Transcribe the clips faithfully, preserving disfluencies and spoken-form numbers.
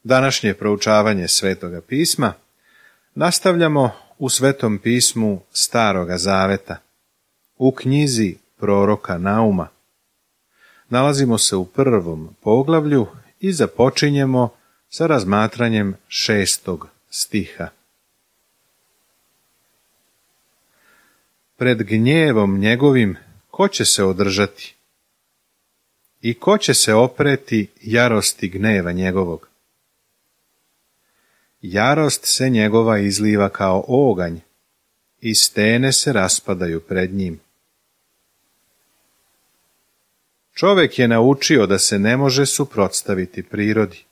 Današnje proučavanje Svetoga pisma nastavljamo u Svetom pismu Staroga Zaveta, u knjizi proroka Nauma. Nalazimo se u prvom poglavlju i započinjemo sa razmatranjem šestog stiha. Pred gnjevom njegovim ko će se održati? I ko će se opreti jarosti gneva njegovog? Jarost se njegova izliva kao oganj, i stene se raspadaju pred njim. Čovek je naučio da se ne može suprotstaviti prirodi.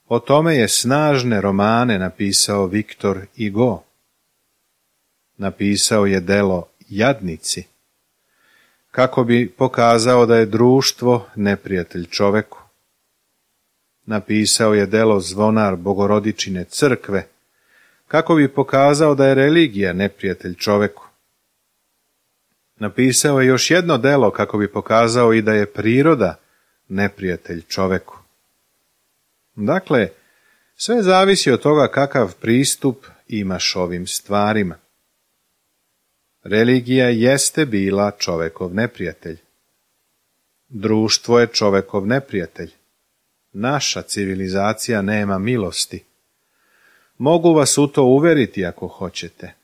O tome je snažne romane napisao Viktor Hugo. Napisao je delo Jadnici, kako bi pokazao da je društvo neprijatelj čoveku. Napisao je delo Zvonar Bogorodičine crkve, kako bi pokazao da je religija neprijatelj čoveku. Napisao je još jedno delo kako bi pokazao i da je priroda neprijatelj čoveku. Dakle, sve zavisi od toga kakav pristup imaš ovim stvarima. Religija jeste bila čovekov neprijatelj. Društvo je čovekov neprijatelj. Naša civilizacija nema milosti. Mogu vas u to uveriti ako hoćete.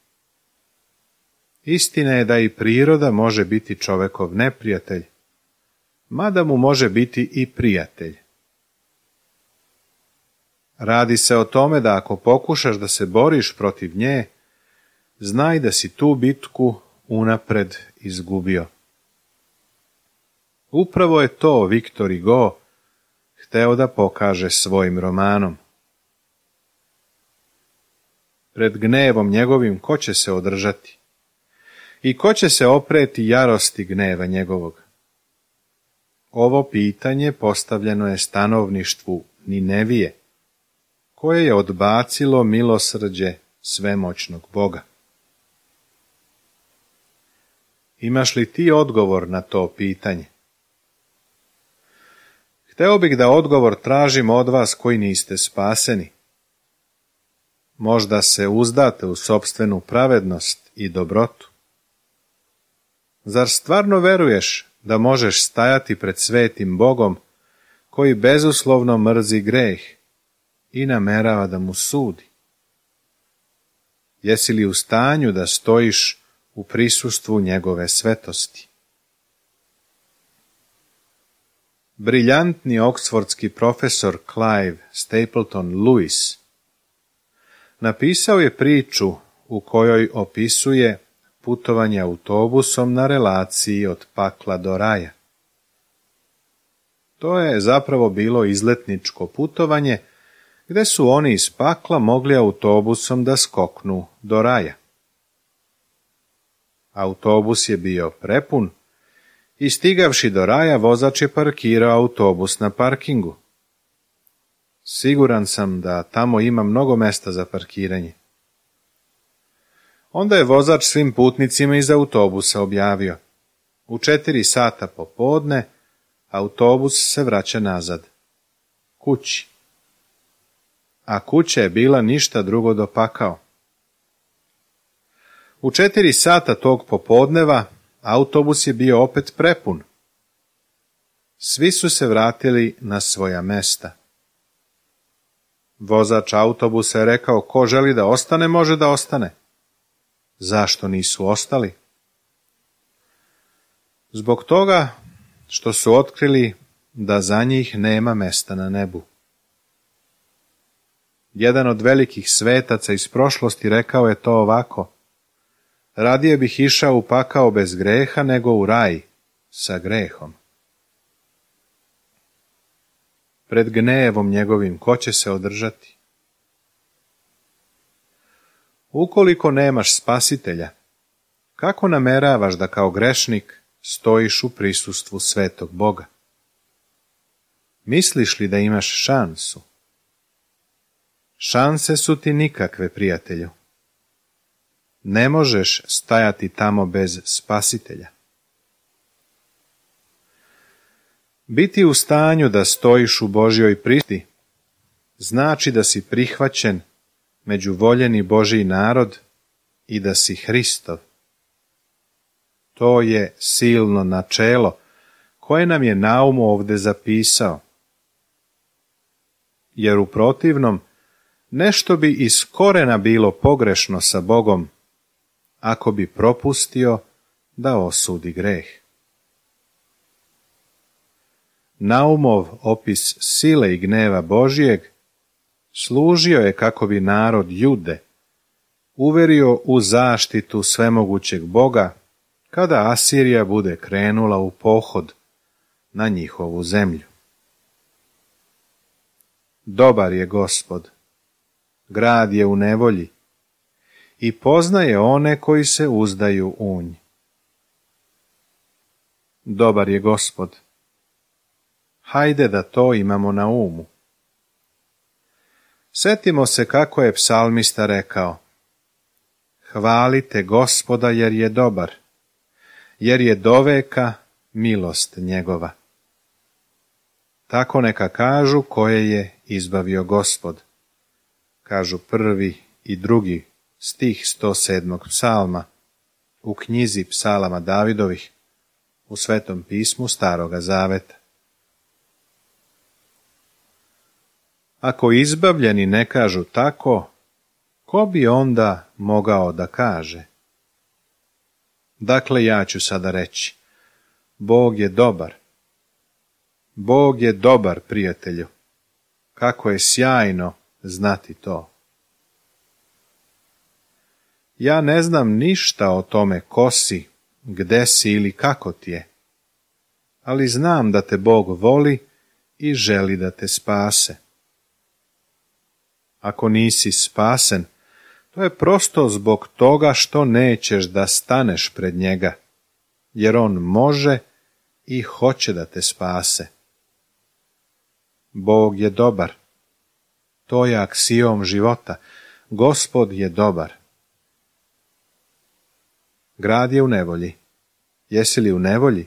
Istina je da i priroda može biti čovekov neprijatelj, mada mu može biti i prijatelj. Radi se o tome da ako pokušaš da se boriš protiv nje, znaj da si tu bitku unapred izgubio. Upravo je to Viktor Hugo hteo da pokaže svojim romanom. Pred gnevom njegovim ko će se održati? I ko će se opreti jarosti gneva njegovog? Ovo pitanje postavljeno je stanovništvu Ninevije, koje je odbacilo milosrđe svemoćnog Boga. Imaš li ti odgovor na to pitanje? Hteo bih da odgovor tražim od vas koji niste spaseni. Možda se uzdate u sopstvenu pravednost i dobrotu. Zar stvarno veruješ da možeš stajati pred svetim Bogom, koji bezuslovno mrzi greh i namerava da mu sudi? Jesi li u stanju da stojiš u prisustvu njegove svetosti? Briljantni oksfordski profesor Clive Stapleton Lewis napisao je priču u kojoj opisuje putovanje autobusom na relaciji od pakla do raja. To je zapravo bilo izletničko putovanje gde su oni iz pakla mogli autobusom da skoknu do raja. Autobus je bio prepun i stigavši do raja vozač je parkirao autobus na parkingu. Siguran sam da tamo ima mnogo mesta za parkiranje. Onda je vozač svim putnicima iz autobusa objavio: u četiri sata popodne autobus se vraća nazad, kući. A kuća je bila ništa drugo do pakao. U četiri sata tog popodneva autobus je bio opet prepun. Svi su se vratili na svoja mesta. Vozač autobusa je rekao: ko želi da ostane, može da ostane. Zašto nisu ostali? Zbog toga što su otkrili da za njih nema mesta na nebu. Jedan od velikih svetaca iz prošlosti rekao je to ovako: radije bih išao u pakao bez greha nego u raj sa grehom. Pred gnevom njegovim ko će se održati? Ukoliko nemaš spasitelja, kako nameravaš da kao grešnik stojiš u prisustvu svetog Boga? Misliš li da imaš šansu? Šanse su ti nikakve, prijatelju. Ne možeš stajati tamo bez spasitelja. Biti u stanju da stojiš u Božjoj prisutnosti znači da si prihvaćen među voljeni Božji narod i da si Hristov. To je silno načelo koje nam je Naum ovdje zapisao. Jer u protivnom nešto bi iz korena bilo pogrešno sa Bogom ako bi propustio da osudi greh. Naumov opis sile i gneva Božijeg služio je kako bi narod Jude uverio u zaštitu svemogućeg Boga kada Asirija bude krenula u pohod na njihovu zemlju. Dobar je Gospod, grad je u nevolji i poznaje one koji se uzdaju u nj. Dobar je Gospod. Hajde da to imamo na umu. Setimo se kako je psalmista rekao: hvalite Gospoda jer je dobar, jer je doveka milost njegova. Tako neka kažu koje je izbavio Gospod. Kažu prvi i drugi stih sto sedmog psalma u knjizi psalama Davidovih u Svetom pismu Staroga Zaveta. Ako izbavljeni ne kažu tako, ko bi onda mogao da kaže? Dakle, ja ću sada reći: Bog je dobar. Bog je dobar, prijatelju. Kako je sjajno znati to. Ja ne znam ništa o tome ko si, gde si ili kako ti je, ali znam da te Bog voli i želi da te spase. Ako nisi spasen, to je prosto zbog toga što nećeš da staneš pred njega, jer on može i hoće da te spase. Bog je dobar. To je aksiom života. Gospod je dobar. Grad je u nevolji. Jesi li u nevolji?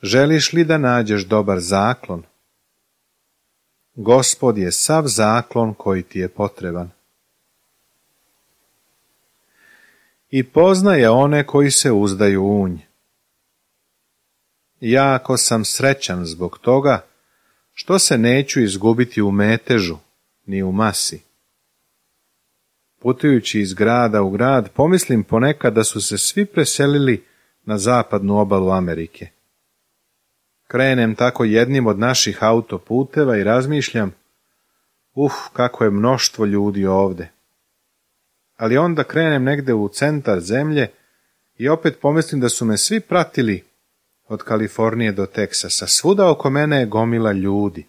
Želiš li da nađeš dobar zaklon? Gospod je sav zaklon koji ti je potreban. I poznaje one koji se uzdaju u nj. Jako sam srećan zbog toga što se neću izgubiti u metežu, ni u masi. Putujući iz grada u grad, pomislim ponekad da su se svi preselili na zapadnu obalu Amerike. Krenem tako jednim od naših autoputeva i razmišljam: uf, kako je mnoštvo ljudi ovde. Ali onda krenem negde u centar zemlje i opet pomislim da su me svi pratili od Kalifornije do Teksasa. Svuda oko mene je gomila ljudi.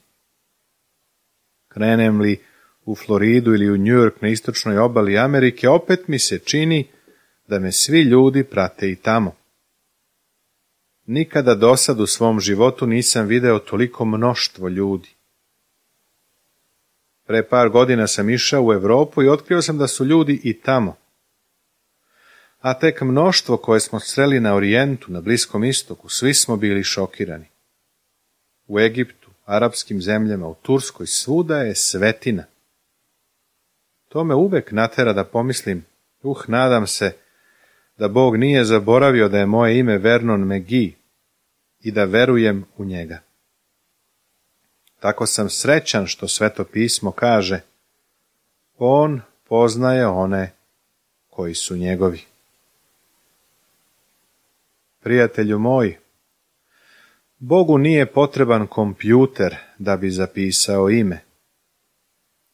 Krenem li u Floridu ili u New York na istočnoj obali Amerike, opet mi se čini da me svi ljudi prate i tamo. Nikada dosad u svom životu nisam video toliko mnoštvo ljudi. Pre par godina sam išao u Evropu i otkrio sam da su ljudi i tamo. A tek mnoštvo koje smo sreli na Orijentu, na Bliskom istoku, svi smo bili šokirani. U Egiptu, arapskim zemljama, u Turskoj, svuda je svetina. To me uvek natera da pomislim: uh, nadam se da Bog nije zaboravio da je moje ime Vernon McGee i da verujem u njega. Tako sam srećan što Sveto pismo kaže: on poznaje one koji su njegovi. Prijatelju moj, Bogu nije potreban kompjuter da bi zapisao ime.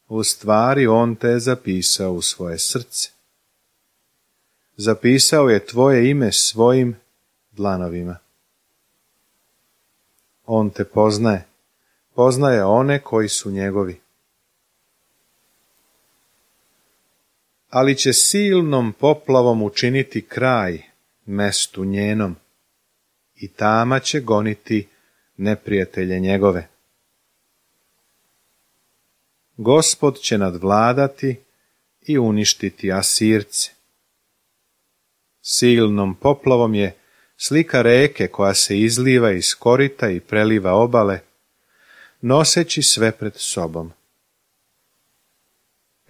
U stvari, on te je zapisao u svoje srce. Zapisao je tvoje ime svojim dlanovima. On te poznaje, poznaje one koji su njegovi. Ali će silnom poplavom učiniti kraj mestu njenom i tama će goniti neprijatelje njegove. Gospod će nadvladati i uništiti Asirce. Silnom poplavom je slika reke koja se izliva iz korita i preliva obale, noseći sve pred sobom.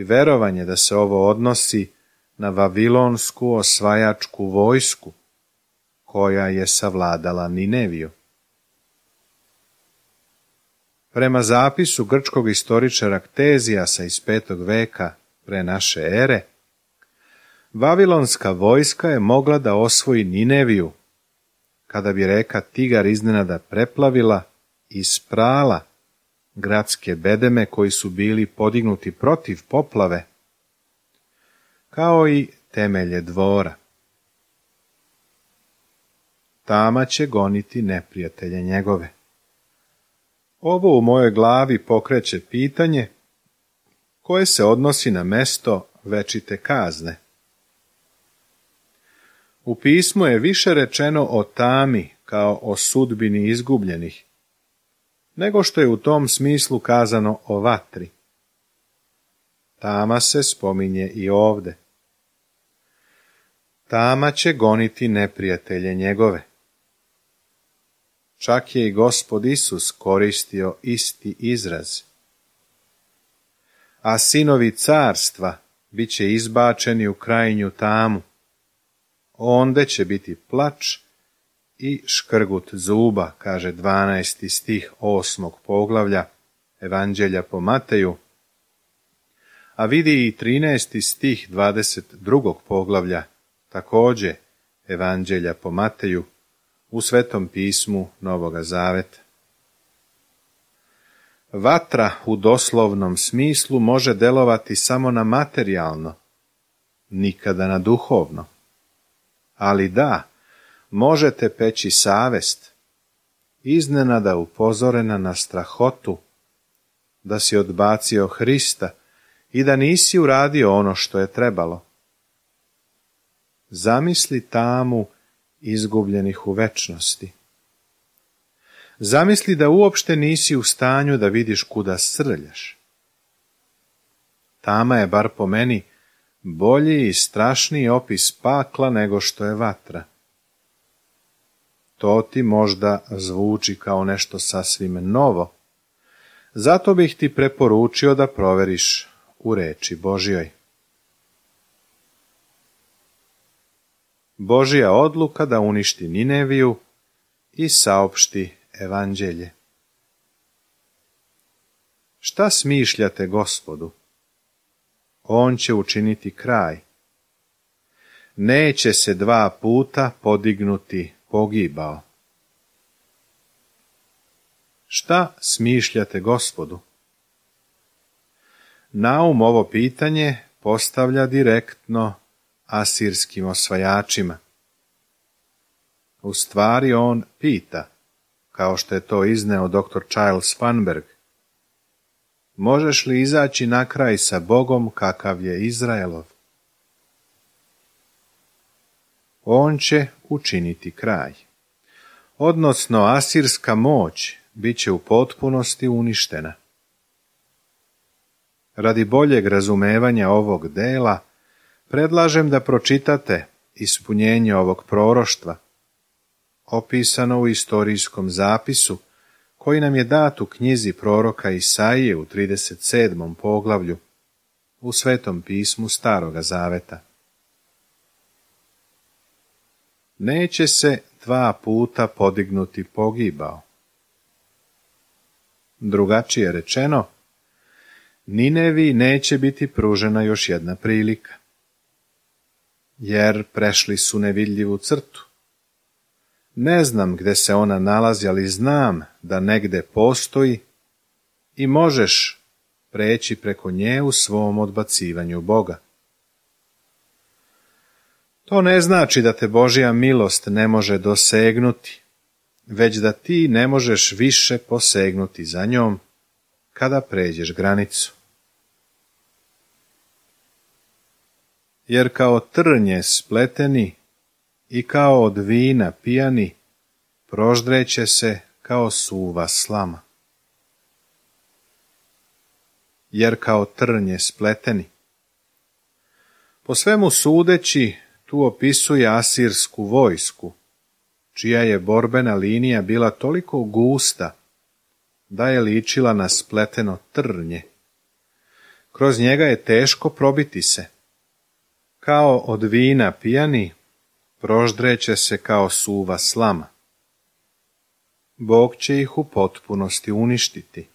verovanje da se ovo odnosi na vavilonsku osvajačku vojsku koja je savladala Nineviju. Prema zapisu grčkog istoričara Ktezijasa iz petog veka pre naše ere, vavilonska vojska je mogla da osvoji Nineviju, kada bi reka Tigar iznenada preplavila i sprala gradske bedeme koji su bili podignuti protiv poplave, kao i temelje dvora. Tama će goniti neprijatelje njegove. Ovo u mojoj glavi pokreće pitanje koje se odnosi na mesto večite kazne. U pismu je više rečeno o tami kao o sudbini izgubljenih, nego što je u tom smislu kazano o vatri. Tama se spominje i ovde. Tama će goniti neprijatelje njegove. Čak je i Gospod Isus koristio isti izraz. A sinovi carstva bit će izbačeni u krajnju tamu. Onde će biti plač i škrgut zuba, kaže dvanaesti stih osmog poglavlja Evanđelja po Mateju, a vidi i trinaesti stih dvadeset drugog poglavlja, takođe Evanđelja po Mateju, u Svetom pismu Novoga Zaveta. Vatra u doslovnom smislu može delovati samo na materijalno, nikada na duhovno. Ali da, možete peći savest, iznenada upozorena na strahotu, da si odbacio Hrista i da nisi uradio ono što je trebalo. Zamisli tamu izgubljenih u večnosti. Zamisli da uopšte nisi u stanju da vidiš kuda srljaš. Tama je, bar po meni, bolji i strašniji opis pakla nego što je vatra. To ti možda zvuči kao nešto sasvim novo, zato bih ti preporučio da proveriš u reči Božjoj. Božja odluka da uništi Nineviju i saopšti evanđelje. Šta smišljate Gospodu? On će učiniti kraj. Neće se dva puta podignuti pogibao. Šta smišljate Gospodu? Naum ovo pitanje postavlja direktno asirskim osvajačima. U stvari on pita, kao što je to izneo doktor Charles Funberg, možeš li izaći na kraj sa Bogom kakav je Izraelov? On će učiniti kraj. Odnosno, asirska moć bit će u potpunosti uništena. Radi boljeg razumevanja ovog dela, predlažem da pročitate ispunjenje ovog proroštva, opisano u istorijskom zapisu, koji nam je dat u knjizi proroka Isaije u trideset sedmom poglavlju, u Svetom pismu Staroga Zaveta. Neće se dva puta podignuti pogibao. Drugačije rečeno, Ninevi neće biti pružena još jedna prilika, jer prešli su nevidljivu crtu. Ne znam gde se ona nalazi, ali znam da negde postoji i možeš preći preko nje u svom odbacivanju Boga. To ne znači da te Božja milost ne može dosegnuti, već da ti ne možeš više posegnuti za njom kada pređeš granicu. Jer kao trnje spleteni i kao od vina pijani, proždreće se kao suva slama. Jer kao trnje spleteni. Po svemu sudeći, tu opisuje asirsku vojsku, čija je borbena linija bila toliko gusta, da je ličila na spleteno trnje, kroz njega je teško probiti se. Kao od vina pijani, proždreće se kao suva slama. Bog će ih u potpunosti uništiti.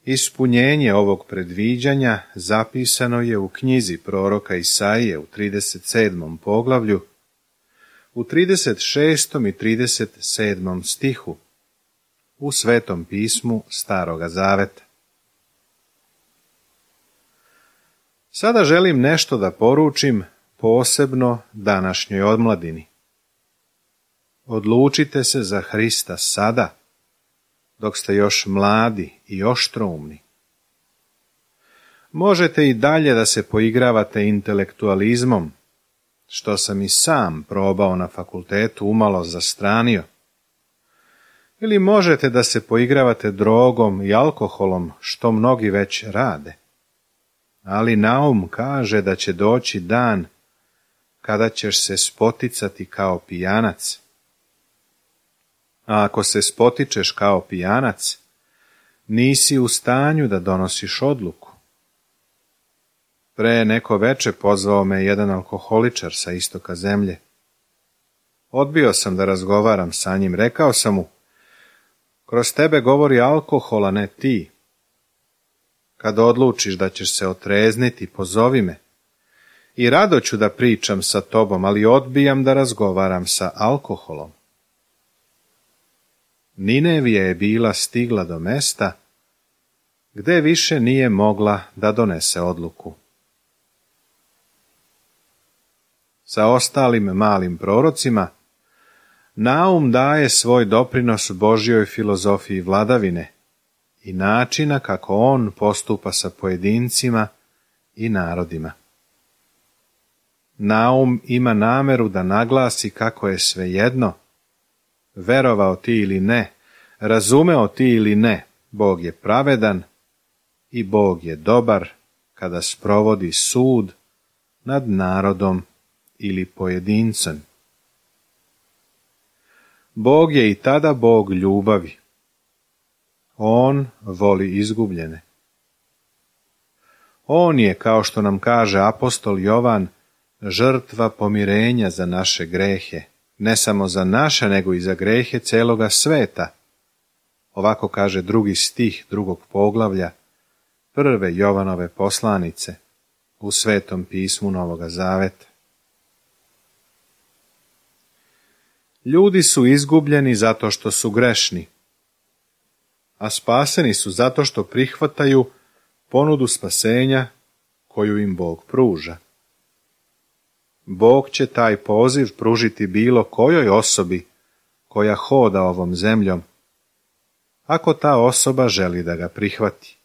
Ispunjenje ovog predviđanja zapisano je u knjizi proroka Isaije u trideset sedmom poglavlju, u trideset šestom i trideset sedmom stihu, u Svetom pismu Staroga Zaveta. Sada želim nešto da poručim posebno današnjoj omladini. Odlučite se za Hrista sada, dok ste još mladi i oštroumni. Možete i dalje da se poigravate intelektualizmom, što sam i sam probao na fakultetu umalo zastranio. Ili možete da se poigravate drogom i alkoholom, što mnogi već rade. Ali naum kaže da će doći dan kada ćeš se spoticati kao pijanac. A ako se spotičeš kao pijanac, nisi u stanju da donosiš odluku. Pre neko veče pozvao me jedan alkoholičar sa istoka zemlje. Odbio sam da razgovaram sa njim, rekao sam mu, kroz tebe govori alkohol, a ne ti. Kad odlučiš da ćeš se otrezniti, pozovi me. I rado ću da pričam sa tobom, ali odbijam da razgovaram sa alkoholom. Ninevija je bila stigla do mesta gde više nije mogla da donese odluku. Sa ostalim malim prorocima, Naum daje svoj doprinos Božjoj filozofiji vladavine i načina kako on postupa sa pojedincima i narodima. Naum ima nameru da naglasi kako je svejedno, verovao ti ili ne, razumeo ti ili ne, Bog je pravedan i Bog je dobar kada sprovodi sud nad narodom ili pojedincem. Bog je i tada Bog ljubavi. On voli izgubljene. On je, kao što nam kaže apostol Jovan, žrtva pomirenja za naše grehe, ne samo za naše, nego i za grehe celoga sveta. Ovako kaže drugi stih drugog poglavlja, prve Jovanove poslanice, u Svetom pismu Novoga Zaveta. Ljudi su izgubljeni zato što su grešni, a spaseni su zato što prihvataju ponudu spasenja koju im Bog pruža. Bog će taj poziv pružiti bilo kojoj osobi koja hoda ovom zemljom, ako ta osoba želi da ga prihvati.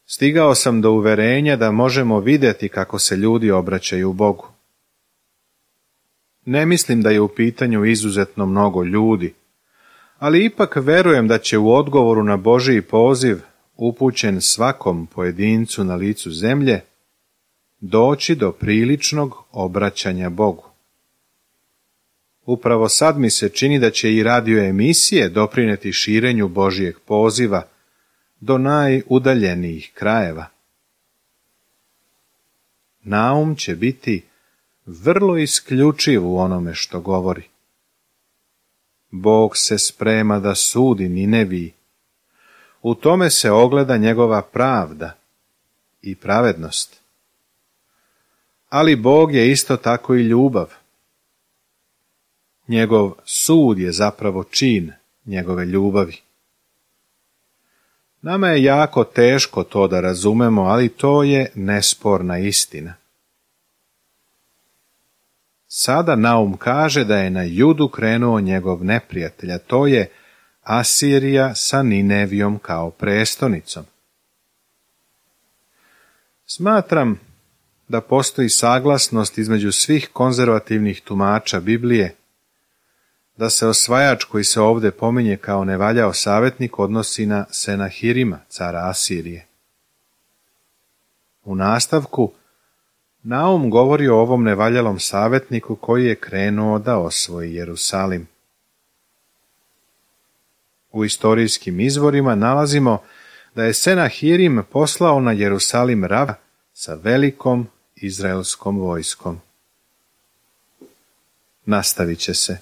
Stigao sam do uverenja da možemo vidjeti kako se ljudi obraćaju Bogu. Ne mislim da je u pitanju izuzetno mnogo ljudi, ali ipak verujem da će u odgovoru na Božji poziv, upućen svakom pojedincu na licu zemlje, doći do priličnog obraćanja Bogu. Upravo sad mi se čini da će i radio emisije doprineti širenju Božjeg poziva do najudaljenijih krajeva. Naum će biti vrlo isključiv u onome što govori. Bog se sprema da sudi Nineviji. U tome se ogleda njegova pravda i pravednost. Ali Bog je isto tako i ljubav. Njegov sud je zapravo čin njegove ljubavi. Nama je jako teško to da razumemo, ali to je nesporna istina. Sada Naum kaže da je na Judu krenuo njegov neprijatelj, a to je Asirija sa Ninevijom kao prestonicom. Smatram da postoji saglasnost između svih konzervativnih tumača Biblije, da se osvajač koji se ovdje pominje kao nevaljao savjetnik odnosi na Senahirima, cara Asirije. U nastavku Naum govori o ovom nevaljalom savjetniku koji je krenuo da osvoji Jerusalim. U istorijskim izvorima nalazimo da je Senahirim poslao na Jerusalim rava sa velikom izraelskom vojskom. Nastavit će se.